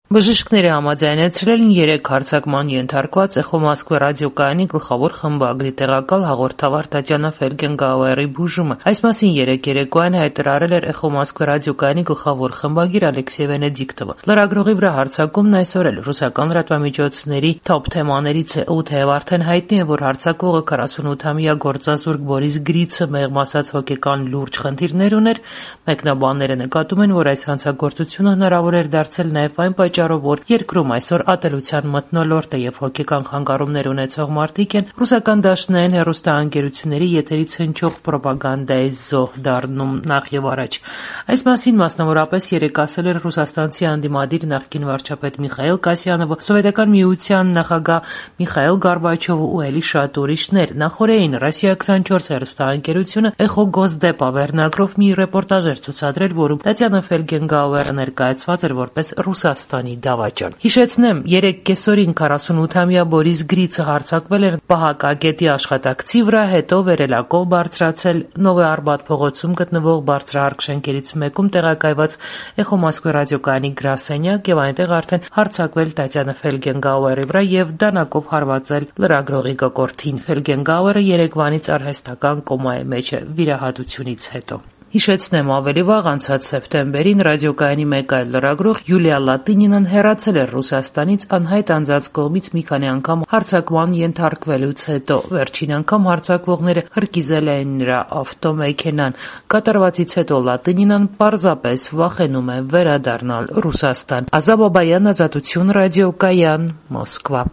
Բժիշկները համաձայնեցրել են 3 հարձակման ենթարկված «Էխո Մոսկվա» ռադիոկայանի գլխավոր խմբագրի տեղակալ հաղորդավար Տատյանա Ֆելգենգաուերի բուժումը։ Այս մասին 3 երեկոյան հայտարարել էր «Էխո Մոսկվա» ռադիոկայանի գլխավոր խմբագիր Ալեքսեյ Վենեդիկտովը։ Լրագրողի վրա հարձակումն այսօր էլ ռուսական լրատվամիջոցների թոփ թեմաներից է, ու թեև արդեն հայտնի է, որ հարձակվողը 48-ամյա գործազուրկ Բորիս Գրիցը մեղմ ասած հոգեկան լուրջ խնդիրներ ուներ, մեկնաբանները նկատում են, որ այս հանցագործությունը հնարավոր էր դարձել նաև այն պատճառով, որ երկրում այսօր ատելության մթնոլորտ է եւ հոգեկան խանգարումներ ունեցող մարդիկ են ռուսական դաշնային հեռուստաընկերությունների եթերից հնչող պրոպագանդայի զոհ դառնում նախ եւ առաջ։ Այս մասին մասնավորապես երեկ ասել էր ռուսաստանցի անդիմադիր նախկին վարչապետ Միխայիլ Կասյանովը, Սովետական միության նախագահ Միխայիլ Գորբաչովը ու ելի շատ ուրիշներ։ Նախորդին Ռոսիա 24 հեռուստաընկերությունը «Էխո Գոսդեպա» վերնագրով մի ռեպորտաժ էր ցուցադրել, որում Տատյանա Ֆելգենգաուերը ներկայացված էր որպես Ռուսաստանի դավաճան։ Հիշեցնեմ, 3 կեսօրին 48-ամյա Բորիս Գրիցը հարձակվել էր պահակագետի աշխատակցի վրա, հետո վերելակով բարձրացել Նովոյ Արբաթ փողոցում գտնվող բարձրահարկ շենքերից մեկում տեղակայված «Էխո Մոսկվա» ռադիոկայանի գրասենյակ եւ այնտեղ արդեն հարձակվել Տատյանա Ֆելգենգաուերի վրա եւ դանակով հարվածել լրագրողի կոկորդին։ Ֆելգենգաուերը երեկվանից արհեստական կոմայի մեջ է վիրահատությունից հետո։ Հիշեցնեմ, ավելի վաղ անցած սեպտեմբերին ռադիոկայանի մեկ այլ լրագրող Յուլիա Լատինինան հեռացել էր Ռուսաստանից անհայտ անձանց կողմից մի քանի անգամ հարձակման ենթարկվելուց հետո։ Վերջին անգամ հարձակվողները հրկիզել էին նրա ավտոմեքենան։ Կատարվածից հետո Լատինինան պարզապես վախենում է վերադառնալ Ռուսաստան։ Ազա Բաբայան, Ազատություն ռադիոկայան, Մոսկվա։